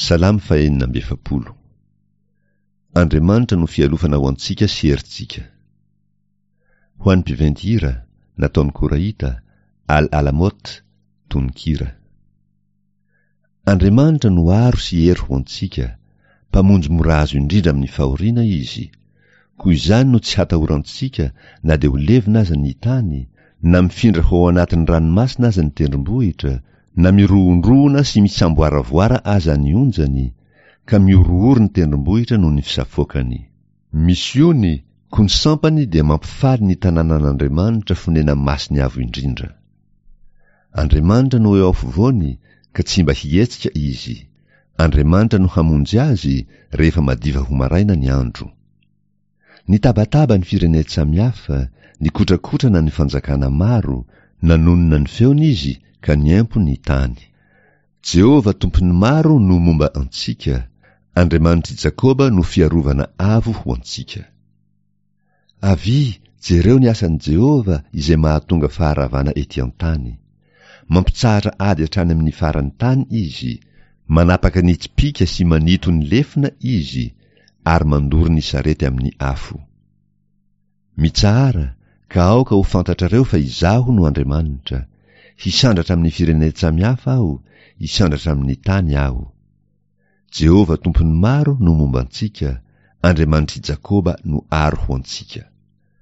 Salamo fahenina amby efapolo. Andriamanitra no fialofana ho antsika sy herintsika. Ho an'ny mpiventy hira, nataon'i Korahita, Al-Alamot, tononkira. Andriamanitra no aro sy hery ho antsika, Mpamonjy mora azo indrindra amin'ny fahoriana Izy. Koa izany no tsy hatahorantsika na dia ho levona aza ny tany, na mifindra ho ao anatin'ny ranomasina aza ny tendrombohitra, na mirohondrohona sy misamboaravoara aza ny onjany, ka mihorohoro ny tendrombohitra noho ny fisafoakany. Misy ony, koa ny sampany dia mampifaly ny tanànan'Andriamanitra fonena-masiny avo indrindra. Andriamanitra no eo afovoany, ka tsy mba hihetsika izy. Andriamanitra no hamonjy azy rehefa madiva ho maraina ny andro. Nitabataba ny firenen-tsamihafa, nikotrakotrana ny fanjakana maro, nanonona ny feony izy ka niempo ny tany. Jehovah Tompon'ny maro no momba antsika, Andriamanitr'i Jakoba no fiarovana avo ho antsika. Avia, jereo ny asan'i Jehovah izay mahatonga faharavana etỳ an-tany. Mampitsahatra ady hatrany amin'ny faran'ny tany izy, manapaka ny tsipìka sy manito ny lefona izy, ary mandoro ny sarety amin'ny afo. Mitsahara, ka aoka ho fantatrareo fa Izaho no Andriamanitra. Hisandratra amin'ny firenen-tsamihafa Aho, hisandratra amin'ny tany Aho. Jehovah Tompon'ny maro no momba antsika, Andriamanitr'i Jakoba no aro ho antsika.